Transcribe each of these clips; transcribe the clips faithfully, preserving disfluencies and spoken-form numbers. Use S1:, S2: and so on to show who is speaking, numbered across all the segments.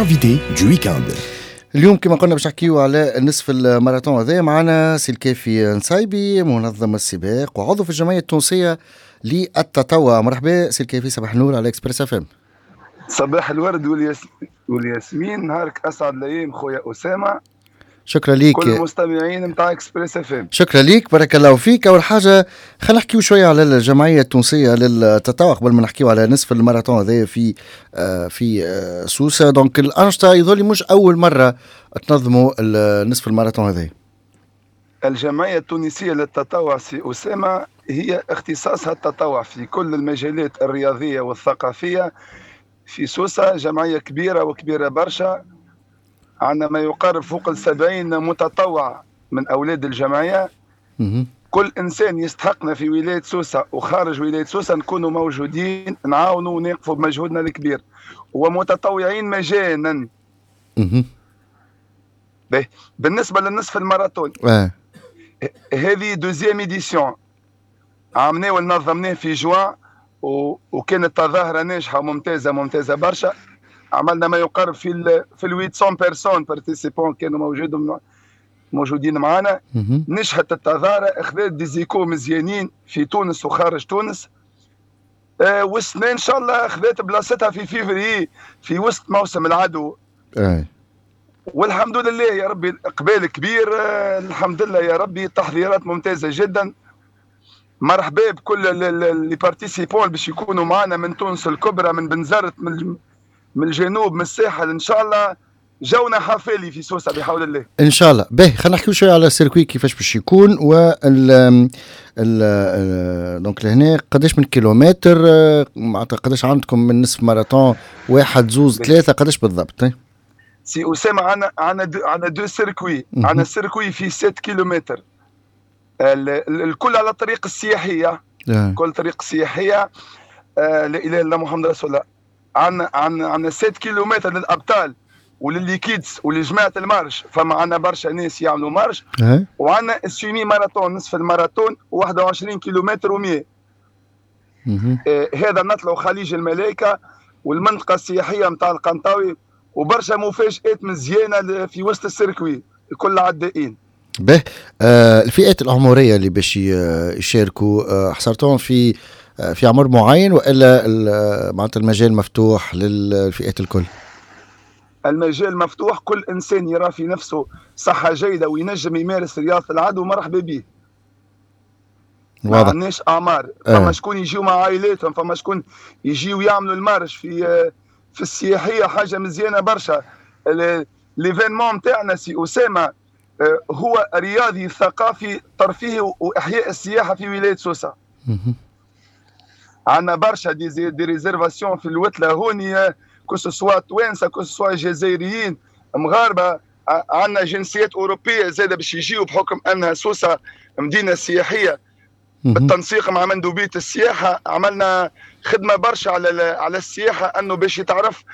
S1: L'invité du week-end.
S2: اليوم كما قلنا باش نحكيو على نصف الماراثون هذا. معنا سي الكافي نصايبي، منظم السباق وعضو في الجمعية التونسية للتطوع. مرحبا سي الكافي، صباح النور على Express FM.
S3: صباح الورد والياس... والياسمين، نهارك اسعد الايام خويا اسامه.
S2: شكرا ليك.
S3: كل المستمعين نتاع Express FM.
S2: شكرا ليك، بارك الله فيك. اول حاجة خلينا نحكيو شوية على الجمعية التونسية للتطوع قبل ما نحكيو على نصف الماراثون هذا في آه، في آه، سوسه. donc الانشطة يظل مش اول مرة تنظموا نصف الماراثون هذا.
S3: الجمعية التونسية للتطوع سي اسامة هي اختصاصها التطوع في كل المجالات الرياضية والثقافية في سوسه. جمعية كبيرة وكبيره برشا، عندنا ما يقارب فوق السبعين متطوع من أولاد الجمعية. كل إنسان يستحقنا في ولاية سوسة وخارج ولاية سوسة نكونوا موجودين، نعاونوا ونقفوا بمجهودنا الكبير، ومتطوعين مجانا. بالنسبة للنصف الماراثون
S2: آه.
S3: هذه deuxième édition، عملناه ونظمناه في جوان و... وكانت تظاهرة ناجحة وممتازة ممتازة برشا. عملنا ما يقارب في ال في ال ثمانمية personnes participants كانوا موجودين موجودين معنا. نجحت التظاهره، اخذت des échos مزيانين في تونس وخارج تونس. آه والسنة ان شاء الله اخذت بلاصتها في فيفري في وسط موسم العدو.
S2: أي.
S3: والحمد لله يا ربي اقبال كبير. آه الحمد لله يا ربي، تحضيرات ممتازة جدا. مرحبا بكل les participants باش يكونوا معنا من تونس الكبرى، من بنزرت، من من الجنوب، من الساحل. ان شاء الله جونا حفالي في سوسة بحول الله.
S2: ان شاء الله. باهي، خلينا نحكيو شوية على ال circuit كيفاش باش يكون وال ال donc لهنا قداش من كيلومتر، معناتها قداش عندكم من نصف ماراثون، واحد، زوز، ثلاثه، قداش بالضبط؟
S3: سي اسامة عندنا عندنا عندنا deux circuits. عندنا circuit فيه ستة كيلومتر، الكل على الطريق السياحيه. آه. كل طريق سياحيه. آه لا اله الا الله محمد رسول الله. عندنا عندنا عندنا ستة كيلومتر للابطال ولل les kids ولجماعه ال marche، فما عندنا برشا ناس يعملوا marche. وعندنا ال semi-marathon، نصف الماراثون، واحد وعشرين كيلومتر ومية. آه هذا نطلعوا خليج الملائكة والمنطقة السياحية نتاع القنطاوي، وبرشا مفاجات مزيانه في وسط ال circuit، الكل عدائين.
S2: به آه الفئات العمرية اللي باش يشاركوا آه حصرتهم في آه في عمر معين والا معناتها المجال مفتوح للفئات الكل؟
S3: المجال مفتوح، كل انسان يرى في نفسه صحة جيدة وينجم يمارس رياضة العدو مرحبا به. ما عندناش اعمار. آه. فما شكون يجيو مع عائلاتهم، فما شكون يجيو يعملوا ال marche في في السياحيه، حاجة مزيانه برشا. l'événement نتاعنا سي اسامة هو رياضي ثقافي ترفيهي واحياء السياحة في ولاية سوسه. عندنا برشا des des réservations في الوتله هوني، que ce soit توانسه، que ce soit جزائريين، مغاربه، عندنا جنسيات اوروبية زاده باش يجيو بحكم انها سوسة مدينة سياحيه. بالتنسيق مع مندوبيه السياحة عملنا خدمة برشا على على السياحة انه باش يتعرف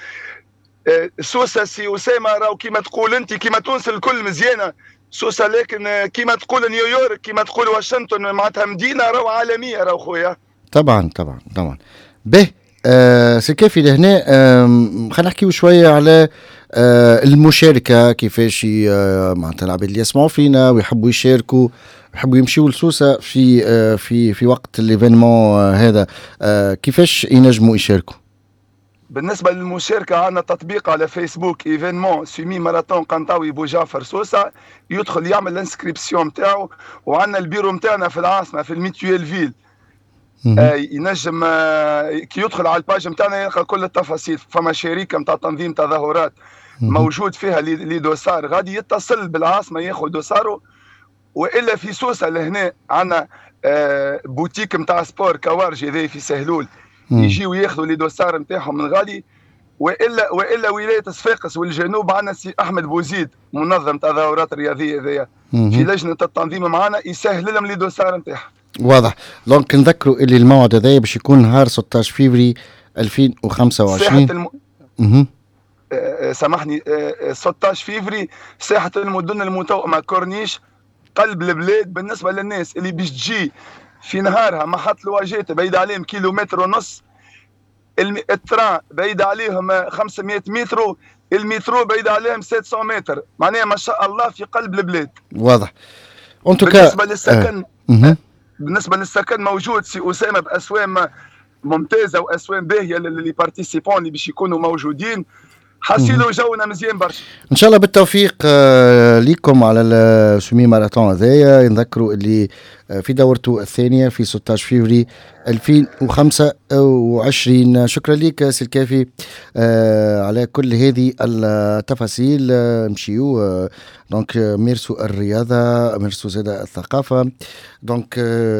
S3: سوسة. سي اسامة راهو كيما تقول انت كيما تونس الكل مزيانه سوسه، لكن كيما تقول نيويورك، كيما تقول واشنطن، معناتها مدينة راهو عالمية راهو خويا.
S2: طبعا طبعا طبعا. به آه سي كافي لهنا آه خلينا نحكيو شوية على آه المشاركه، كيفاش آه معناتها العباد اللي يسمعوا فينا ويحبوا يشاركوا، يحبوا يمشيوا لسوسه في آه في في وقت l'événement آه هذا، آه كيفاش ينجموا يشاركوا؟
S3: بالنسبة للمشاركة عندنا تطبيق على فيسبوك، événement semi-marathon قنطاوي بوجعفر سوسه، يدخل يعمل l'inscription نتاعو. وعندنا البيرو نتاعنا في العاصمة في ال Mutuelleville. آه ينجم آه كي يدخل على ال page نتاعنا يلقى كل التفاصيل. فما شركة نتاع تنظيم تظاهرات موجود فيها les dossards، غادي يتصل بالعاصمة ياخذ dossard و. والا في سوسة لهنا عندنا آه بوتيك نتاع sport كوارجي ذي في سهلول، يجيو ياخذوا les dossards نتاعهم من غادي. والا والا ولاية صفاقس والجنوب عندنا سي احمد بوزيد منظم تظاهرات رياضية ذي في لجنة التنظيم معنا، يسهل لهم les dossards نتاعهم.
S2: واضح. donc نذكروا اللي الموعد هذا باش يكون نهار ستاش فيفري ألفين وخمسة وعشرين.
S3: ساحة الم... آه سامحني، آه ستاش فيفري، ساحة المدن المتوأمه، كورنيش قلب البلاد. بالنسبة للناس اللي باش تجي في نهارها، محطة الواجات بعيد عليهم كيلومتر ونص، ال train بعيد عليهم خمسمية متر. المترو بعيد عليهم سبعمية متر، معناها ما شاء الله في قلب البلاد.
S2: واضح. en tout cas
S3: بالنسبة للسكن
S2: آه.
S3: بالنسبة للسكن موجود سي اسامة باسوام ممتازة واسوام باهيه ل les participants اللي باش يكونوا موجودين. حسيلو جونا مزيان برشا.
S2: ان شاء الله بالتوفيق آه، ليكم على ال semi-marathon هذايا. نذكروا اللي آه، في دورته الثانية في ستة عشر فيفري ألفين وخمسة وعشرين. شكرا لك سي الكافي آه، على كل هذه التفاصيل. نمشيو donc ميرسو الرياضه، ميرسو زاد الثقافه. donc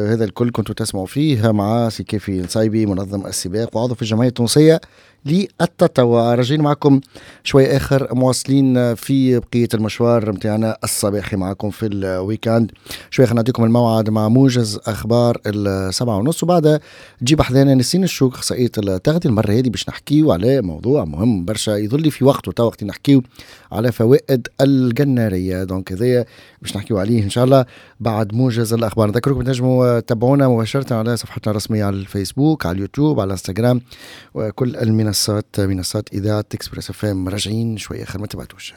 S2: هذا الكل كنتوا تسمعوا فيه مع سي كافي نصايبي، منظم السباق وعضو في الجمعية التونسية للتطوع. راجعين معكم شوي اخر، مواصلين في بقية المشوار نتاعنا الصباحي معكم في ال week-end. شوي خلينا نعطيكم الموعد مع موجز اخبار السبعة ونص، وبعدها تجيب حذانا نسرين الشوك، اخصائية التغذيه. المرة هذه باش نحكيو على موضوع مهم برشا، يظل في وقته تو وقت نحكيو على فوائد القناريه. donc هذايا باش نحكيو عليه ان شاء الله بعد موجز الاخبار. نذكركم تنجموا تتابعونا مباشرة على صفحتنا الرسمية على الفيسبوك، على اليوتيوب، على الانستغرام وكل المنصات، منصات اذاعة اكسبريس اف ام. راجعين شوية اخر، ما تبعدوش.